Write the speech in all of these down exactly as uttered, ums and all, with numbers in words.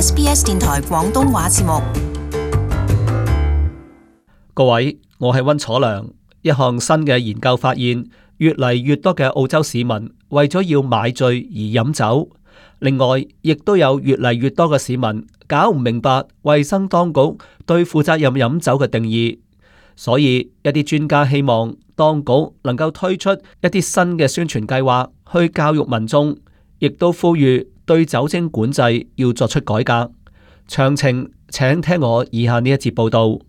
S B S 電台廣東話節目。各位，我係溫楚良。一項新嘅研究發現，越嚟越多嘅澳洲市民為咗要買醉而飲酒。另外，亦都有越嚟越多嘅市民搞唔明白衛生當局對負責任飲酒嘅定義，所以一啲專家希望當局能夠推出一啲新嘅宣傳計劃去教育民眾，亦都呼籲對酒精管制要作出改革。詳情請聽我以下呢一節報道。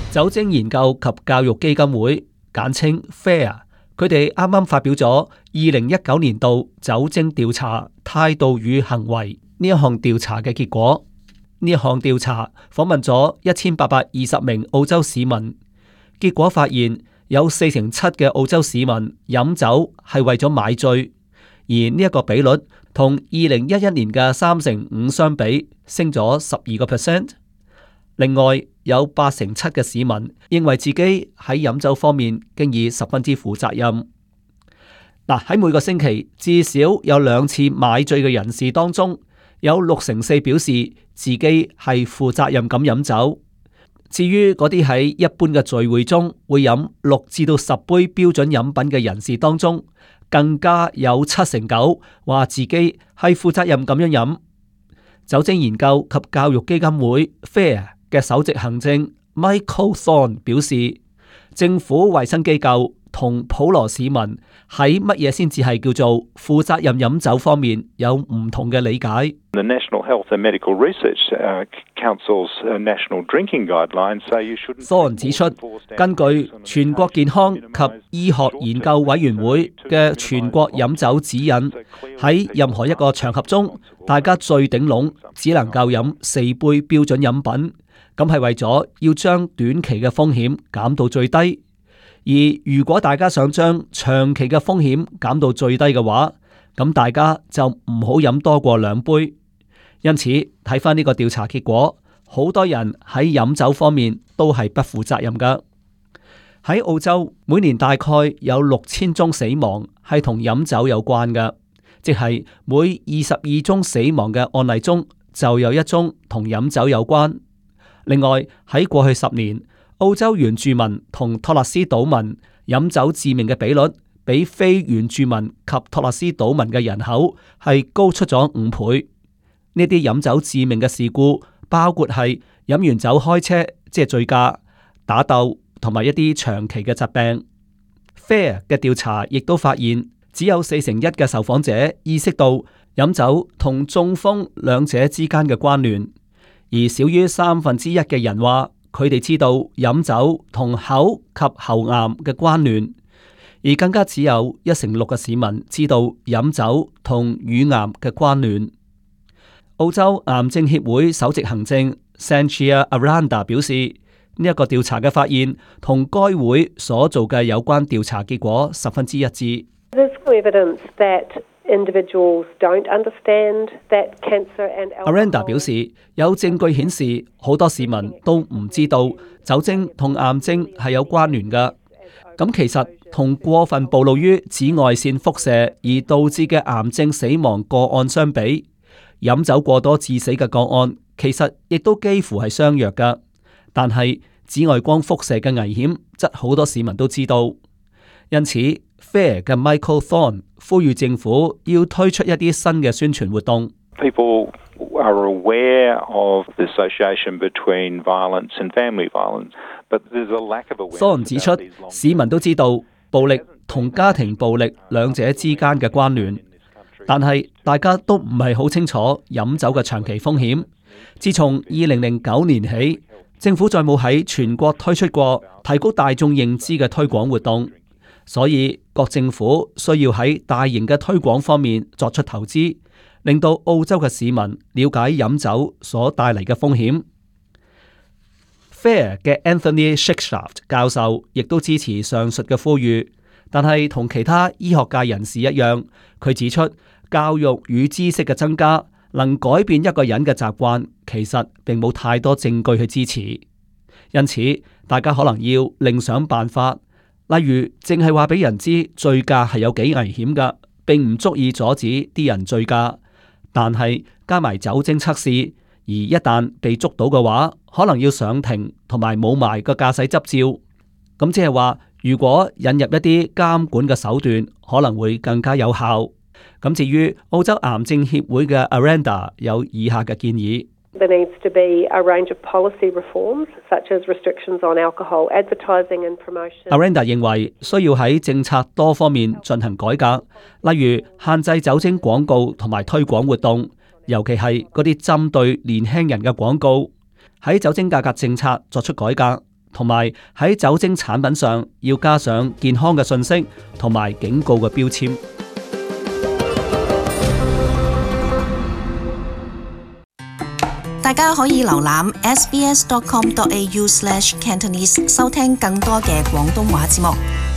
酒精研究及教育基金會簡稱 F A I R， 佢哋啱啱發表咗二零一九年度酒精調查態度與行為呢一項調查嘅結果。呢一項調查訪問咗一千八百二十名澳洲市民，結果發現有四成七嘅澳洲市民飲酒係為咗買醉，而呢一個比率同二零一一年嘅三成五相比，升咗十二個 percent。另外有八成七嘅市民認為自己喺飲酒方面經已十分之負責任。嗱，喺每個星期至少有兩次買醉嘅人士當中，有六成四表示自己係負責任咁飲酒。至於嗰啲喺一般嘅聚會中會飲六至到十杯標準飲品嘅人士當中，更加有七成九話自己係負責任咁樣飲。酒精研究及教育基金會 F A I R嘅首席行政 Michael Thorne 表示，政府衛生機構同普羅市民喺乜嘢先至係叫做負責任飲酒方面有唔同嘅理解。The National Health and Medical Research Council's National Drinking Guidelines say you shouldn't. Thorne 指出，根據全國健康及醫學研究委員會嘅全國飲酒指引，喺任何一個場合中，大家最頂籠只能夠飲四杯標準飲品。咁係為咗要將短期嘅風險減到最低，而如果大家想將長期嘅風險減到最低嘅話，咁大家就唔好飲多過兩杯。因此睇翻呢個調查結果，好多人喺飲酒方面都係不負責任噶。喺澳洲，每年大概有六千宗死亡係同飲酒有關噶，即係每二十二宗死亡嘅案例中就有一宗同飲酒有關。另外喺過去十年，澳洲原住民同托勒斯島民飲酒致命嘅比率，比非原住民及托勒斯島民嘅人口係高出咗五倍。呢啲飲酒致命嘅事故包括係飲完酒開車，即係醉駕、打鬥同埋一啲長期嘅疾病。F A I R 嘅調查亦都發現，只有四成一嘅受訪者意識到飲酒同中風兩者之間嘅關聯。而少於三分之一嘅人話，佢哋知道飲酒同口及喉癌嘅關聯，而更加只有一成六嘅市民知道飲酒同乳癌嘅關聯。澳洲癌症協會首席行政 Sanchia Aranda 表示，呢、這、一個調查嘅發現同該會所做嘅有關調查結果十分之一致。Aranda 表示，有證據顯示好多市民都唔知道酒精同癌症係有關聯㗎。咁其實同過分暴露於紫外線輻射而導致嘅癌症死亡個案相比，飲酒過多致死嘅個案其實亦都幾乎係相若㗎。但係紫外光輻射嘅危險則好多市民都知道，因此 F A I R 嘅 Michael Thorne 呼籲政府要推出一啲新嘅宣傳活動。People are aware of the association between violence and family violence, but there's a lack of awareness. Thorne 指出，市民都知道暴力同家庭暴力兩者之間嘅關聯，但係大家都唔係好清楚飲酒嘅長期風險。自從二零零九年起，政府再冇喺全國推出過提高大眾認知嘅推廣活動。所以各政府需要喺大型嘅推廣方面作出投資，令到澳洲嘅市民了解飲酒所帶嚟嘅風險。F A I R 嘅 Anthony Shikshaft 教授亦都支持上述嘅呼籲，但係同其他醫學界人士一樣，佢指出教育與知識嘅增加能改變一個人嘅習慣，其實並冇太多證據去支持。因此，大家可能要另想辦法。例如，淨係話俾人知醉駕係有幾危險㗎，並唔足以阻止啲人醉駕。但係加埋酒精測試，而一旦被捉到嘅話，可能要上庭同埋冇埋個駕駛執照。咁即係話，如果引入一啲監管嘅手段，可能會更加有效。咁至於澳洲癌症協會嘅 Aranda 有以下嘅建議。There needs to be a range of policy reforms, such as restrictions on alcohol advertising and promotion. Aranda 認為需要喺政策多方面進行改革，例如限制酒精廣告同埋推廣活動，尤其係嗰啲針對年輕人嘅廣告。喺酒精價格政策作出改革，同埋喺酒精產品上要加上健康嘅信息同埋警告嘅標籤。大家可以瀏覽 s b s dot com dot a u slash cantonese 收聽更多嘅廣東話節目。